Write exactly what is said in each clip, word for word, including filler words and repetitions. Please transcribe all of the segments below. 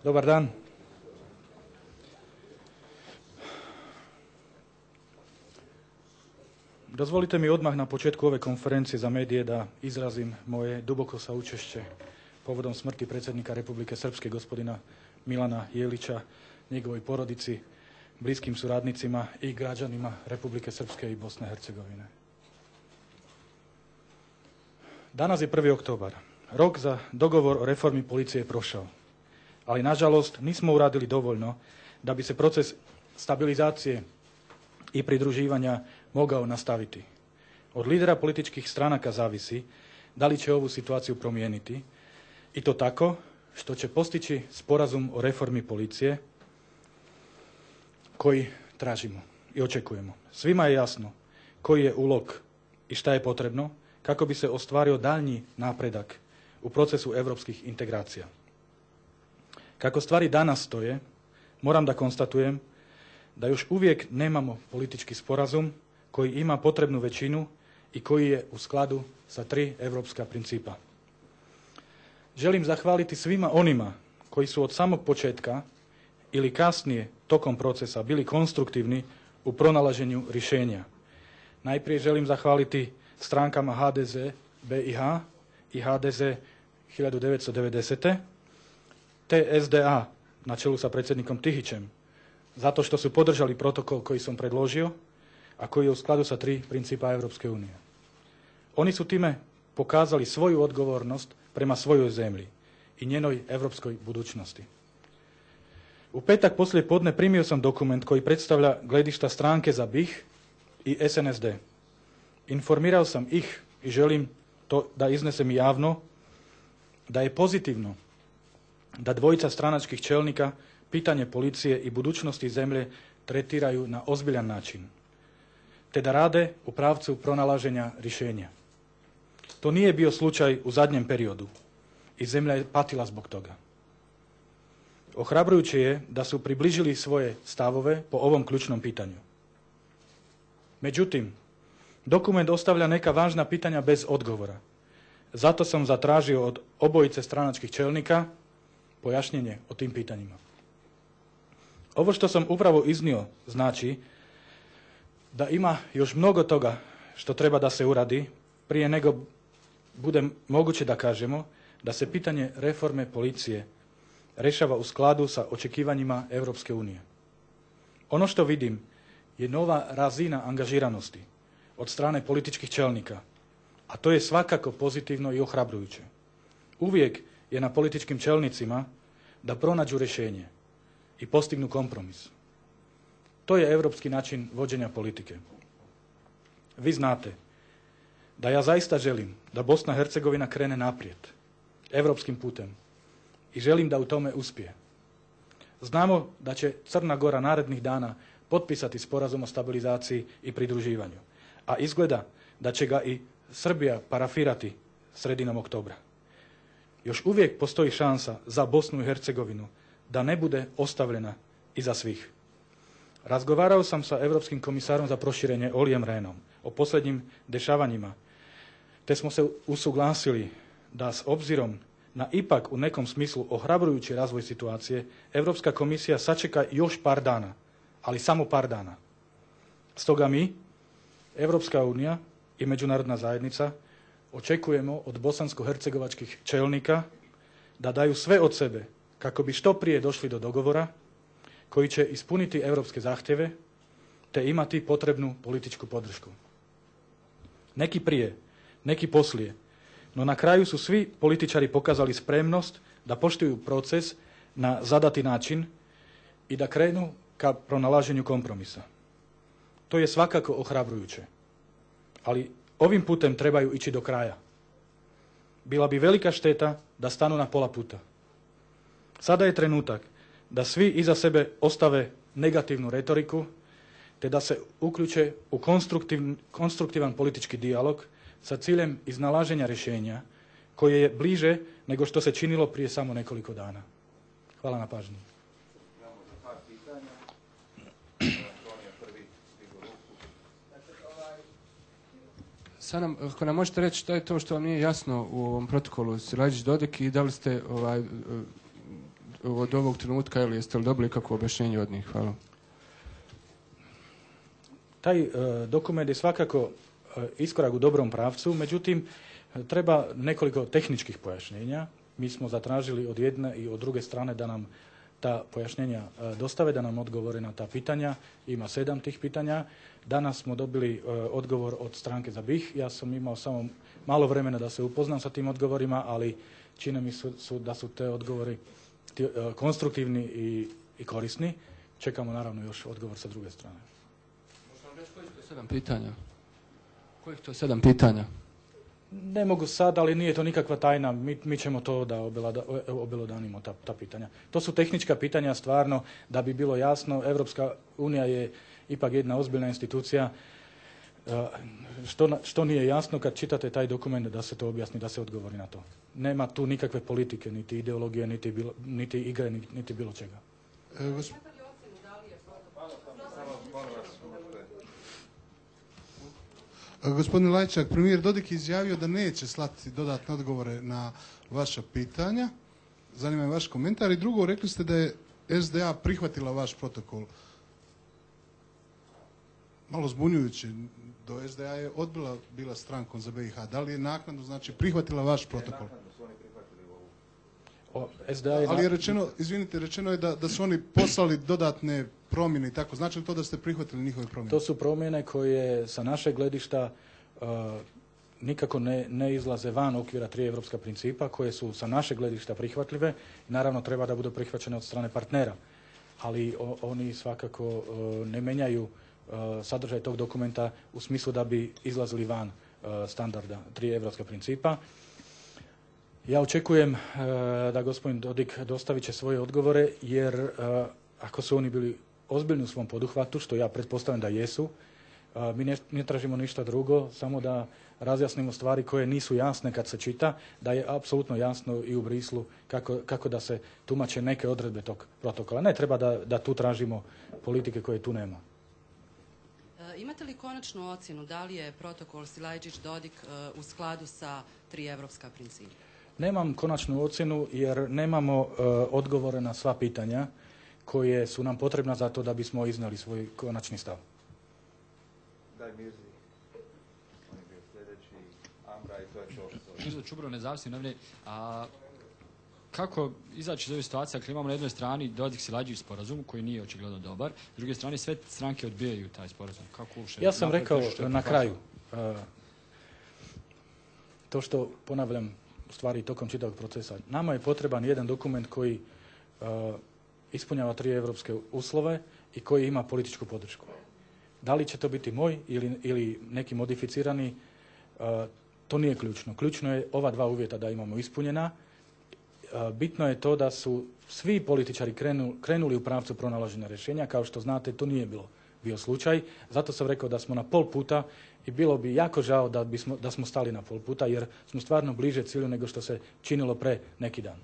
Dobar dan. Dozvolite mi odmah na početku ove konferencije za medije da izrazim moje duboko saučešće povodom smrti predsjednika Republike Srpske gospodina Milana Jelića, njegovoj porodici, bliskim suradnicima i građanima Republike Srpske i Bosne i Hercegovine. Danas je prvi oktobar. Rok za dogovor o reformi policije je prošao. Ali, nažalost, nismo uradili dovoljno da bi se proces stabilizacije i pridruživanja mogao nastaviti. Od lidera političkih stranaka zavisi da li će ovu situaciju promijeniti i to tako što će postići sporazum o reformi policije koji tražimo i očekujemo. Svima je jasno koji je ulog i šta je potrebno kako bi se ostvario daljnji napredak u procesu europskih integracija. Kako stvari danas stoje, moram da konstatujem da još uvijek nemamo politički sporazum koji ima potrebnu većinu i koji je u skladu sa tri europska principa. Želim zahvaliti svima onima koji su od samog početka ili kasnije tokom procesa bili konstruktivni u pronalaženju rješenja. Najprije želim zahvaliti strankama H D Z B i H i H D Z hiljadu devetsto devedesete te S D A na čelu sa predsjednikom Tihićem, zato što su podržali protokol koji sam predložio, a koji je u skladu sa tri principa Europske unije. Oni su time pokazali svoju odgovornost prema svojoj zemlji i njenoj europskoj budućnosti. U petak poslije podne primio sam dokument koji predstavlja gledišta stranke za B i H i S N S D. Informirao sam ih i želim to da iznesem javno, da je pozitivno da dvojica stranačkih čelnika pitanje policije i budućnosti zemlje tretiraju na ozbiljan način, te da rade u pravcu pronalaženja rješenja. To nije bio slučaj u zadnjem periodu i zemlja je patila zbog toga. Ohrabrujuće je da su približili svoje stavove po ovom ključnom pitanju. Međutim, dokument ostavlja neka važna pitanja bez odgovora. Zato sam zatražio od obojice stranačkih čelnika pojašnjenje o tim pitanjima. Ovo što sam upravo iznio znači da ima još mnogo toga što treba da se uradi prije nego bude moguće da kažemo da se pitanje reforme policije rešava u skladu sa očekivanjima Europske unije. Ono što vidim je nova razina angažiranosti od strane političkih čelnika, a to je svakako pozitivno i ohrabrujuće. Uvijek je na političkim čelnicima da pronađu rješenje i postignu kompromis. To je europski način vođenja politike. Vi znate da ja zaista želim da Bosna i Hercegovina krene naprijed, europskim putem, i želim da u tome uspije. Znamo da će Crna Gora narednih dana potpisati sporazum o stabilizaciji i pridruživanju, a izgleda da će ga i Srbija parafirati sredinom oktobra. Još uvijek postoji šansa za Bosnu i Hercegovinu da ne bude ostavljena iza svih. Razgovarao sam sa Europskim komisarom za proširenje Ollijem Rehnom o posljednjim dešavanjima, te smo se usuglasili da s obzirom na ipak u nekom smislu ohrabrujući razvoj situacije, Europska komisija sačeka još par dana, ali samo par dana. Stoga mi, Europska unija i međunarodna zajednica, očekujemo od bosansko-hercegovačkih čelnika da daju sve od sebe kako bi što prije došli do dogovora koji će ispuniti europske zahtjeve te imati potrebnu političku podršku. Neki prije, neki poslije, no na kraju su svi političari pokazali spremnost da poštuju proces na zadati način i da krenu ka pronalaženju kompromisa. To je svakako ohrabrujuće, ali ovim putem trebaju ići do kraja. Bila bi velika šteta da stanu na pola puta. Sada je trenutak da svi iza sebe ostave negativnu retoriku, te da se uključe u konstruktiv, konstruktivan politički dijalog sa ciljem iznalaženja rješenja koje je bliže nego što se činilo prije samo nekoliko dana. Hvala na pažnji. Sad nam, ako nam možete reći što je to što vam nije jasno u ovom protokolu Silajdžić-Dodik i da li ste ovaj, od ovog trenutka ili jeste li dobili kakvo objašnjenje od njih? Hvala. Taj e, dokument je svakako e, iskorak u dobrom pravcu, međutim, treba nekoliko tehničkih pojašnjenja. Mi smo zatražili od jedne i od druge strane da nam ta pojašnjenja e, dostave, da nam odgovore na ta pitanja. Ima sedam tih pitanja. Danas smo dobili e, odgovor od stranke za B I H. Ja sam imao samo malo vremena da se upoznam sa tim odgovorima, ali čine mi su, su da su te odgovori ti, e, konstruktivni i, i korisni. Čekamo naravno još odgovor sa druge strane. Možete vam reći kojih to sedam pitanja? Kojih to sedam pitanja? Ne mogu sad, ali nije to nikakva tajna. Mi, mi ćemo to da obelodanimo ta, ta pitanja. To su tehnička pitanja stvarno, da bi bilo jasno. Evropska unija je ipak jedna ozbiljna institucija. Što, što nije jasno kad čitate taj dokument da se to objasni, da se odgovori na to. Nema tu nikakve politike, niti ideologije, niti, bilo, niti igre, niti, niti bilo čega. E, gosp... Gospodin Lajčak, premijer Dodik je izjavio da neće slati dodatne odgovore na vaša pitanja. Zanima me vaš komentar. I drugo, rekli ste da je S D A prihvatila vaš protokol. Malo zbunjujuće. Do S D A je odbila bila strankom za B i H. Da li je naknadno, znači, prihvatila vaš protokol? O, S D A je Ali je rečeno, izvinite, rečeno je da, da su oni poslali dodatne promjene i tako. Znači li to da ste prihvatili njihove promjene? To su promjene koje sa našeg gledišta uh, nikako ne, ne izlaze van okvira tri evropska principa, koje su sa našeg gledišta prihvatljive. Naravno, treba da budu prihvaćene od strane partnera. Ali o, oni svakako uh, ne menjaju uh, sadržaj tog dokumenta u smislu da bi izlazili van uh, standarda tri evropska principa. Ja očekujem uh, da gospodin Dodik dostavit će svoje odgovore, jer uh, ako su oni bili ozbiljni u svom poduhvatu, što ja pretpostavljam da jesu, uh, mi ne, ne tražimo ništa drugo, samo da razjasnimo stvari koje nisu jasne kad se čita, da je apsolutno jasno i u Brislu kako, kako da se tumače neke odredbe tog protokola. Ne treba da, da tu tražimo politike koje tu nema. E, imate li konačnu ocjenu da li je protokol Silajđić-Dodik e, u skladu sa tri evropska principa? Nemam konačnu ocjenu jer nemamo uh, odgovore na sva pitanja koje su nam potrebna za to da bismo iznali svoj konačni stav. Daj Mirzi, on je bio sljedeći, Amra i to je to. Mirza Čubrov, nezavisni novinar. A kako izaći iz ove situacije ako imamo na jednoj strani Dodik-Silajđić sporazum koji nije očigledno dobar, s druge strane sve stranke odbijaju taj sporazum? Kako uopšte? Ja sam rekao na kraju, uh, to što ponavljam u stvari tokom čitavog procesa. Nama je potreban jedan dokument koji uh, ispunjava tri evropske uslove i koji ima političku podršku. Da li će to biti moj ili, ili neki modificirani, uh, to nije ključno. Ključno je ova dva uvjeta da imamo ispunjena. Uh, bitno je to da su svi političari krenu, krenuli u pravcu pronalaženja rješenja. Kao što znate, to nije bilo bio slučaj. Zato sam rekao da smo na pol puta i bilo bi jako žao da, bismo, da smo stali na pol puta, jer smo stvarno bliže cilju nego što se činilo pre neki dan.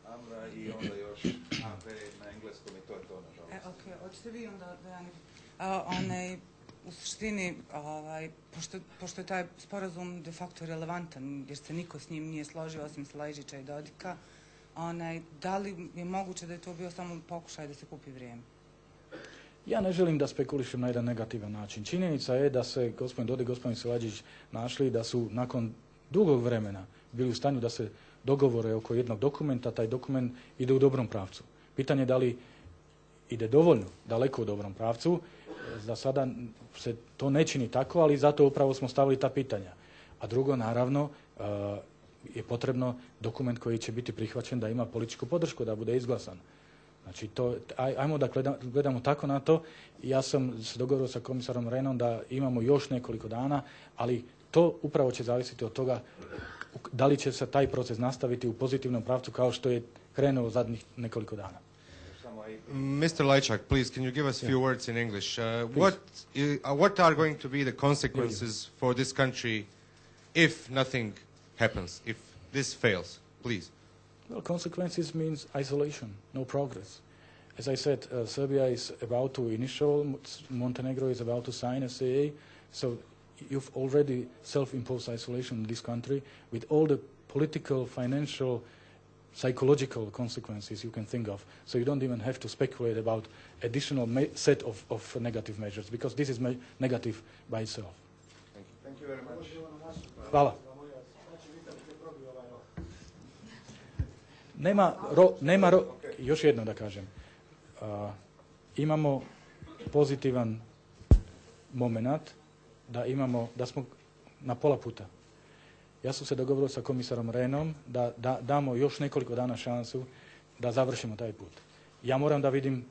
Amra i onda još A P na engleskom i to je to, nažalost. E, ok, hoćete vi onda da ja ne... A, onaj, u suštini, ovaj, pošto, pošto je taj sporazum de facto relevantan, jer se niko s njim nije složio osim Silajđića i Dodika, onaj, da li je moguće da je to bio samo pokušaj da se kupi vrijeme? Ja ne želim da spekulišem na jedan negativan način. Činjenica je da se gospodin Dodik i gospodin Silajđić našli, da su nakon dugog vremena bili u stanju da se dogovore oko jednog dokumenta, taj dokument ide u dobrom pravcu. Pitanje je da li ide dovoljno daleko u dobrom pravcu. Za sada se to ne čini tako, ali zato upravo smo stavili ta pitanja. A drugo, naravno, je potrebno dokument koji će biti prihvaćen da ima političku podršku, da bude izglasan. Znači, to, aj, ajmo da gledamo, gledamo tako na to. Ja sam se dogovorio sa komisarom Renom da imamo još nekoliko dana, ali to upravo će zavisiti od toga da li će se taj proces nastaviti u pozitivnom pravcu kao što je krenuo zadnjih nekoliko dana. Mister Lajčak, please, can you give us a few yeah. words in English? Uh, what, uh, what are going to be the consequences for this country if nothing happens, if this fails? Please. Well, consequences means isolation, no progress. As I said, uh, Serbia is about to initial, Montenegro is about to sign S A A, so you've already self-imposed isolation in this country with all the political, financial psychological consequences you can think of. So you don't even have to speculate about additional ma- set of, of negative measures, because this is ma- negative by itself. Thank you. Thank you very much. Hvala. Nema, ro, nema ro, još jedno da kažem. Uh, imamo pozitivan moment da imamo, da smo na pola puta. Ja sam se dogovorio sa komisarom Rehnom da, da damo još nekoliko dana šansu da završimo taj put. Ja moram da vidim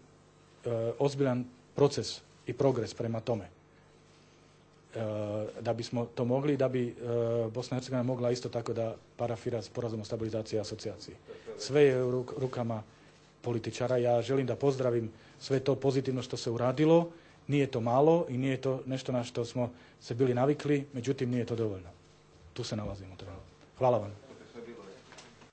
uh, ozbiljan proces i progres prema tome. Uh, da bismo to mogli, da bi uh, Bosna i Hercegovina mogla isto tako da parafira sporazum o stabilizaciji i asocijaciji. Sve je u ruk, rukama političara. Ja želim da pozdravim sve to pozitivno što se uradilo. Nije to malo i nije to nešto na što smo se bili navikli, međutim nije to dovoljno. Tu se nalazimo. Hvala vam.